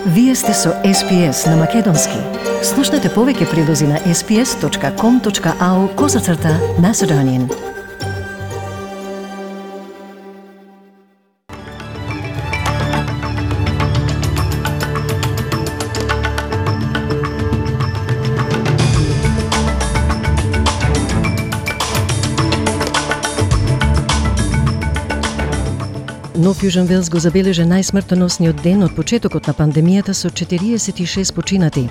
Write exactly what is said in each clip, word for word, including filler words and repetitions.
Вие сте со Ес Пи Ес на Македонски. Слушнете повеќе прилози на ес пи ес точка ком точка ау козацрта Macedonian. Нов Јужен Велс го забележа најсмртоносниот ден од почетокот на пандемијата со четириесет и шест починати.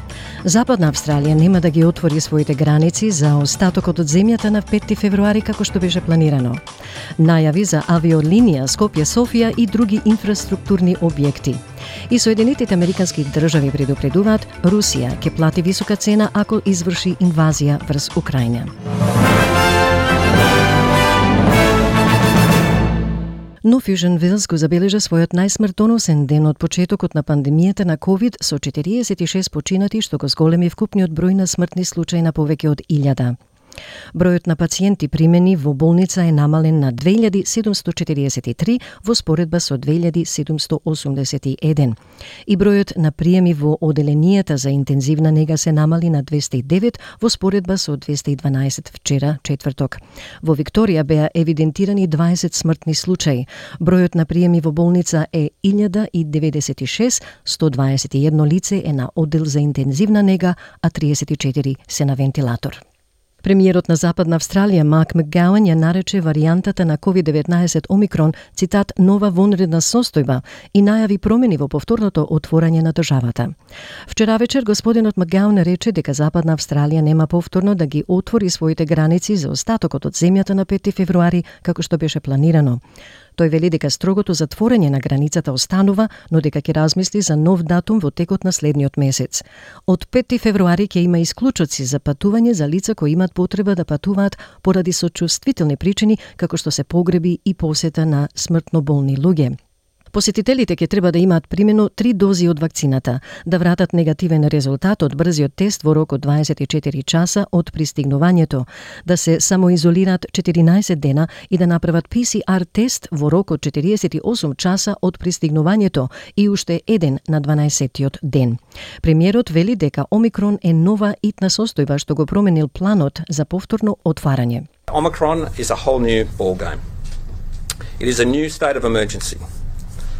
Западна Австралија нема да ги отвори своите граници за остатокот од земјата на петти февруари како што беше планирано. Најави за авиолинија Скопје-Софија и други инфраструктурни објекти. И Соединетите Американски држави предупредуваат Русија ќе плати висока цена ако изврши инвазија врз Украина. Нов Јужен Велс го забележа својот најсмртоносен ден од почетокот на пандемијата на ковид со четириесет и шест починати, што го зголеми вкупниот број на смртни случаи на повеќе од илјада. Бројот на пациенти примени во болница е намален на две илјади седумсто четириесет и три во споредба со две илјади седумсто осумдесет и еден. И бројот на приеми во оделенијата за интензивна нега се намали на двесте и девет во споредба со двесте и дванаесет вчера, четврток. Во Викторија беа евидентирани дваесет смртни случаи. Бројот на приеми во болница е илјада и деветдесет и шест, сто дваесет и едно лице е на оддел за интензивна нега, а триесет и четири се на вентилатор. Премиерот на Западна Австралија Марк Макгауан ја нарече варијантата на ковид деветнаесет Омикрон, цитат, нова вонредна состојба и најави промени во повторното отворање на државата. Вчера вечер господинот Макгауан рече дека Западна Австралија нема повторно да ги отвори своите граници за остатокот од земјата на петти февруари како што беше планирано. Тој вели дека строгото затворање на границата останува, но дека ќе размисли за нов датум во текот на следниот месец. Од петти февруари ќе има исклучоци за патување за лица кои имаат потреба да патуваат поради сочувствителни причини, како што се погреби и посета на смртно болни луѓе. Посетителите ќе треба да имаат примено три дози од вакцината, да вратат негативен резултат од брзиот тест во рок од дваесет и четири часа од пристигнувањето, да се самоизолираат четиринаесет дена и да направат Пи Си Ар тест во рок од четириесет и осум часа од пристигнувањето и уште еден на дванаесеттиот ден. Премиерот вели дека Омикрон е нова итна состојба што го променил планот за повторно отварање. Omicron is a whole new ball game. It is a new state of emergency.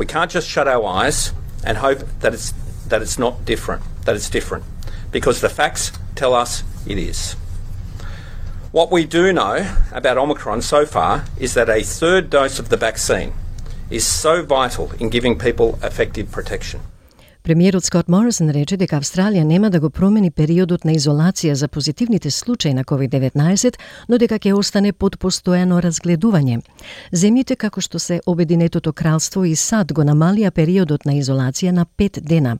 We can't just shut our eyes and hope that it's that it's not different, that it's different, because the facts tell us it is. What we do know about Omicron so far is that a third dose of the vaccine is so vital in giving people effective protection. Премиерот Скот Морисон рече дека Австралија нема да го промени периодот на изолација за позитивните случаи на ковид деветнаесет, но дека ќе остане под постојано разгледување. Земјите како што се Обединетото кралство и САД го намалија периодот на изолација на пет дена.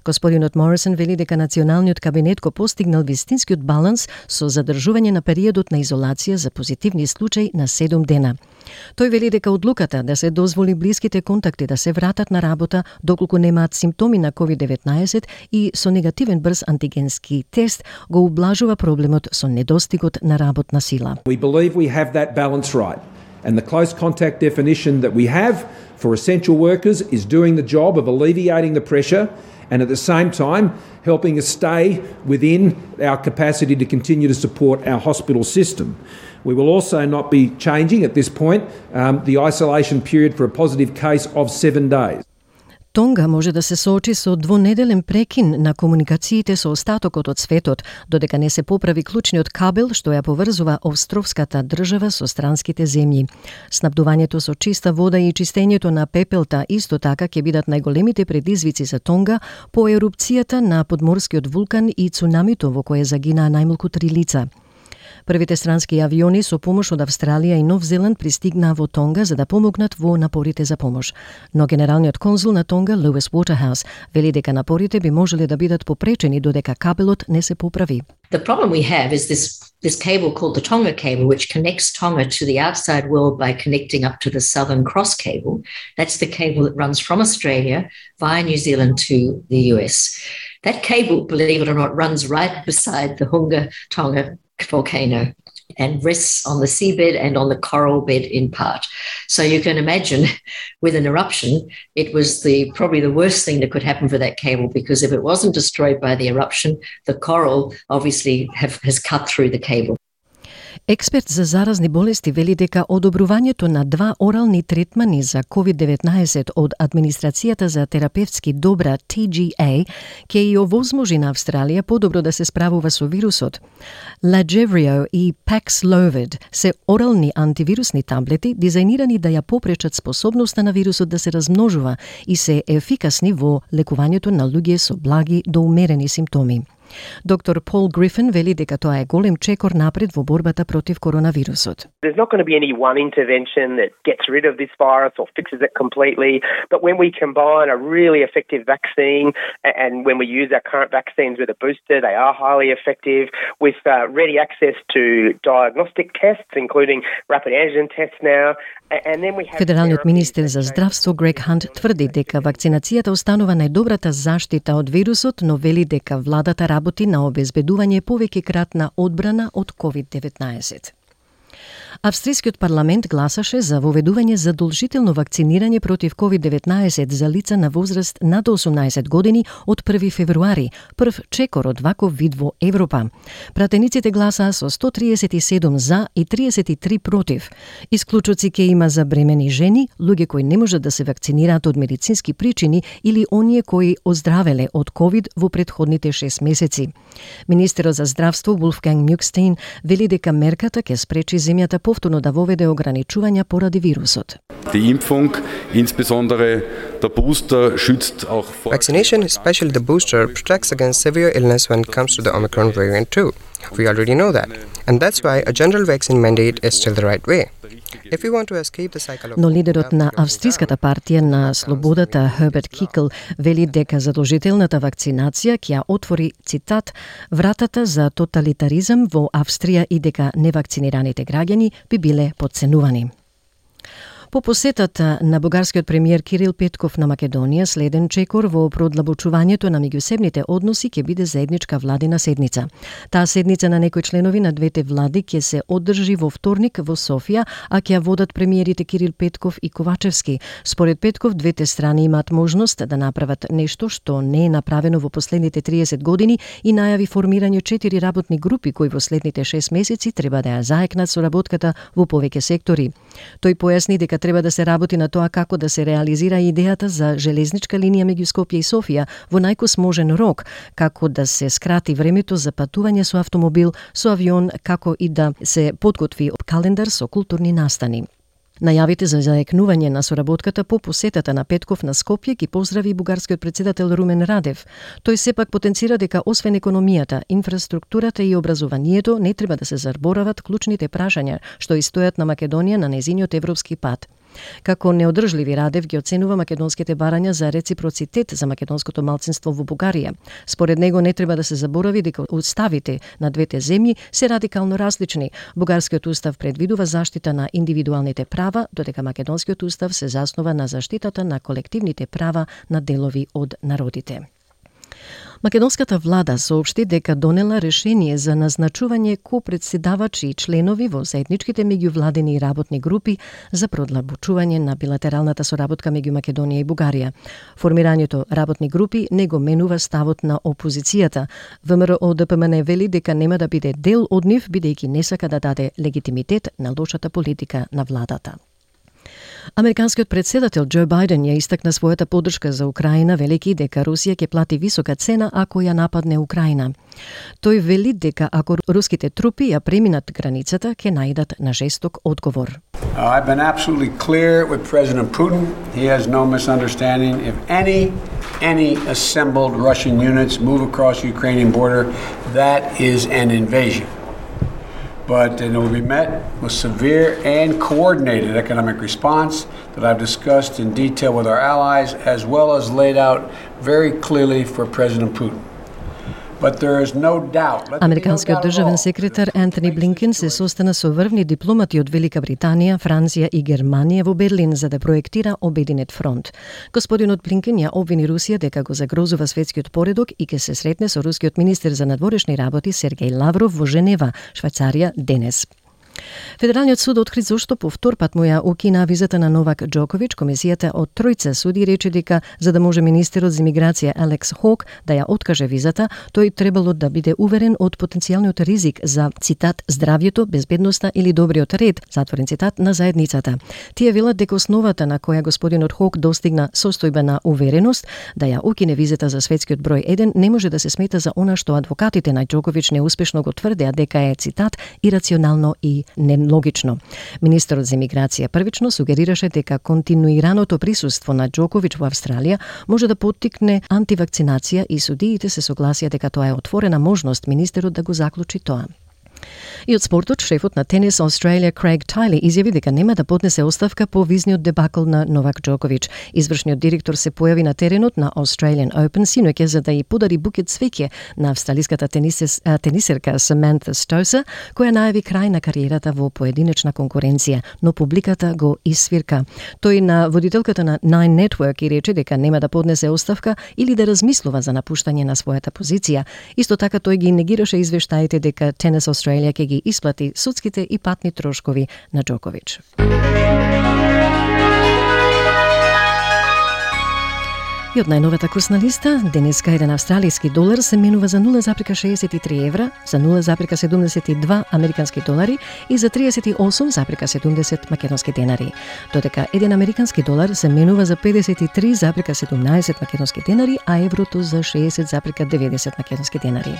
Господинот Морисон вели дека националниот кабинет го постигнал вистинскиот баланс со задржување на периодот на изолација за позитивни случаи на седум дена. Тој вели дека одлуката да се дозволи блиските контакти да се вратат на работа доколку немаат симптоми на ковид деветнаесет и со негативен брз антигенски тест го ублажува проблемот со недостигот на работна сила. We believe we have that balance right, and the close contact definition that we have for essential workers is doing the job of alleviating the pressure and at the same time helping us stay within our capacity to continue to support our hospital system. We will also not be changing at this point um, the isolation period for a positive case of seven days. Тонга може да се соочи со двонеделен прекин на комуникациите со остатокот од светот, додека не се поправи клучниот кабел што ја поврзува островската држава со странските земји. Снабдувањето со чиста вода и чистењето на пепелта исто така ќе бидат најголемите предизвици за Тонга по ерупцијата на подморскиот вулкан и цунамито во кое загинаа најмалку три лица. Првите странски авиони со помош од Австралија и Нов Зеланд пристигнаа во Тонга за да помогнат во напорите за помош. Но генералниот конзул на Тонга, Луис Уотерхаус, вели дека напорите би можеле да бидат попречени додека кабелот не се поправи. The problem we have is this this cable called the Tonga cable, which connects Tonga to the outside world by connecting up to the Southern Cross cable. That's the cable that runs from Australia via New Zealand to the U S. That cable, believe it or not, runs right beside the Hunga Tonga volcano. and rests on the seabed and on the coral bed in part. So you can imagine with an eruption, it was the probably the worst thing that could happen for that cable, because if it wasn't destroyed by the eruption, the coral obviously have, has cut through the cable. Експерт за заразни болести вели дека одобрувањето на два орални третмани за ковид деветнаесет од Администрацијата за терапевтски добра T G A ќе ја овозможи на Австралија подобро да се справува со вирусот. Lagevrio и Paxlovid се орални антивирусни таблети дизајнирани да ја попречат способноста на вирусот да се размножува и се ефикасни во лекувањето на луѓе со благи до умерени симптоми. Доктор Пол Грифин вели дека тоа е голем чекор напред во борбата против коронавирусот. There's not going to be any one intervention that gets rid of this virus or fixes it completely, but when we combine a really effective vaccine and when we use our current vaccines with a booster, they are highly effective, with uh, ready access to diagnostic tests, including rapid antigen tests now. Федералниот министер за здравство Грег Хант тврди дека вакцинацијата останува најдобрата заштита од вирусот, но вели дека владата работи на обезбедување повеќе кратна одбрана од ковид деветнаесет. Австрискиот парламент гласаше за воведување задолжително вакцинирање против ковид деветнаесет за лица на возраст над осумнаесет години од први февруари, прв чекор од ваков вид во Европа. Пратениците гласаа со сто триесет и седум за и триесет и три против. Исклучоци ќе има за бремени жени, луѓе кои не можат да се вакцинираат од медицински причини или оние кои оздравеле од ковид во претходните шест месеци. Министерот за здравство Wolfgang Mückstein вели дека мерката ќе спречи земјата повторно да воведе ограничувања поради вирусот. Die Impfung, insbesondere der Booster, schützt auch vor. Vaccination, especially the booster, protects against severe illness when it comes to the Omicron variant too. We already know that. And that's why a general vaccine mandate is still the right way. If we want to escape the cycle of... Но лидерот на австриската партија на слободата Herbert Kickl вели дека задолжителната вакцинација ќе ја отвори, цитат, вратата за тоталитаризам во Австрија и дека невакцинираните граѓани би биле потценувани. По посетата на бугарскиот премиер Кирил Петков на Македонија, следен чекор во продлабочувањето на меѓусебните односи ќе биде заедничка владина седница. Таа седница на некои членови на двете влади ќе се одржи во вторник во Софија, а ќе ја водат премиерите Кирил Петков и Ковачевски. Според Петков, двете страни имаат можност да направат нешто што не е направено во последните триесет години и најави формирање четири работни групи кои во следните шест месеци треба да ја заекнат соработката во повеќе сектори. Тој појасни дека треба да се работи на тоа како да се реализира идејата за железничка линија меѓу Скопје и Софија во најкосможен рок, како да се скрати времето за патување со автомобил, со авион, како и да се подготви календар со културни настани. Најавите за заекнување на соработката по посетата на Петков на Скопје ги поздрави бугарскиот претседател Румен Радев. Тој сепак потенцира дека освен економијата, инфраструктурата и образованието не треба да се заборават клучните прашања што и стојат на Македонија на незиниот европски пат. Како неодржливи Радев ги оценува македонските барања за реципроцитет за македонското малцинство во Бугарија. Според него не треба да се заборави дека уставите на двете земји се радикално различни. Бугарскиот устав предвидува заштита на индивидуалните права, додека македонскиот устав се заснова на заштитата на колективните права на делови од народите. Македонската влада соопшти дека донела решение за назначување копредседавачи и членови во заедничките меѓувладини работни групи за продлабочување на билатералната соработка меѓу Македонија и Бугарија. Формирањето работни групи не го менува ставот на опозицијата. ВМРО Д П М Н вели дека нема да биде дел од нив, бидејќи не сака да даде легитимитет на лошата политика на владата. Американскиот претседател Џо Бајден ја истакна својата поддршка за Украина, велики дека Русија ќе плати висока цена ако ја нападне Украина. Тој вели дека ако руските трупи ја преминат границата, ќе најдат на жесток одговор. I've been absolutely clear with President Putin. He has no misunderstanding. If any any assembled Russian units move across the Ukrainian border, that is an invasion. But it will be met with severe and coordinated economic response that I've discussed in detail with our allies, as well as laid out very clearly for President Putin. But there is no doubt. Американскиот државен секретар Антони Блинкен се состана со врвни дипломати од Велика Британија, Франција и Германија во Берлин за да проектира обединет фронт. Господинот Блинкен ја обвини Русија дека го загрозува светскиот поредок и ќе се сретне со рускиот министер за надворешни работи Сергеј Лавров во Женева, Швајцарија, денес. Федералниот суд откри зошто по втор пат му ја укина визата на Новак Џоковиќ. Комисијата од тројца суди рече дека за да може министерот за имиграција Алекс Хок да ја откаже визата, тој требало да биде уверен од потенцијалниот ризик за, цитат, здравјето, безбедноста или добриот ред, затворен цитат, на заедницата. Тие велат дека основата на која господинот Хок достигна состојба на увереност да ја укине визата за светскиот број еден не може да се смета за она што адвокатите на Џоковиќ неуспешно го тврдеа дека е, цитат, ирационално и нелогично. Министерот за имиграција првично сугерираше дека континуираното присуство на Џоковиќ во Австралија може да поттикне антивакцинација и судиите се согласија дека тоа е отворена можност министерот да го заклучи тоа. И од спортот, шефот на Тенис Australia Craig Tiley изјави дека нема да поднесе оставка по визниот дебакл на Новак Џоковиќ. Извршниот директор се појави на теренот на Australian Open синоќа за да ја подари букет цвеќе на австралиската тенисес, тенисерка Саманта Стоса, која најави крај на кариерата во поединечна конкуренција, но публиката го исвирка. Тој на водителката на Nine Network и рече дека нема да поднесе оставка или да размислува за напуштање на својата позиција. Исто така тој ги негираше извештаите дека Tennis Australia ќе ги исплати судските и патни трошкови на Џоковиќ. И од најновата курсна листа, денеска еден австралиски долар се менува за нула запирка шеесет и три евра, за нула запирка седумдесет и два американски долари и за триесет и осум запирка седумдесет македонски денари. Додека еден американски долар се менува за педесет и три запирка седумнаесет македонски денари, а еврото за шеесет запирка деветдесет македонски денари.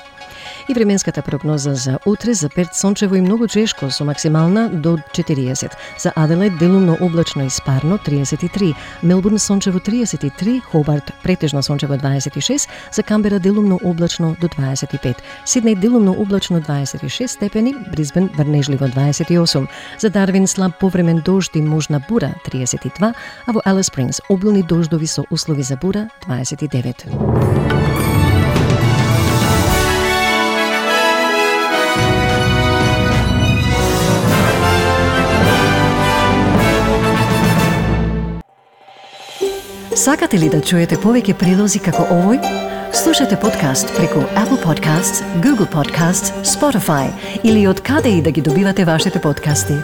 И временската прогноза за утре за Перт сончево и многу чешко со максимална до четириесет. За Аделаид делумно облачно и спарно триесет и три, Мелбурн сончево триесет и три, Хобарт претежно сончево дваесет и шест, за Камбера делумно облачно до дваесет и пет, Сиднеј делумно облачно дваесет и шест степени, Брисбен врнежливо дваесет и осум, за Дарвин слаб повремен дожд и можна бура триесет и два, а во Алис Спрингс обилни дождови со услови за бура дваесет и девет. Сакате ли да чуете повеќе прилози како овој? Слушате подкаст преку Apple Podcasts, Google Podcasts, Spotify или од каде и да ги добивате вашите подкасти.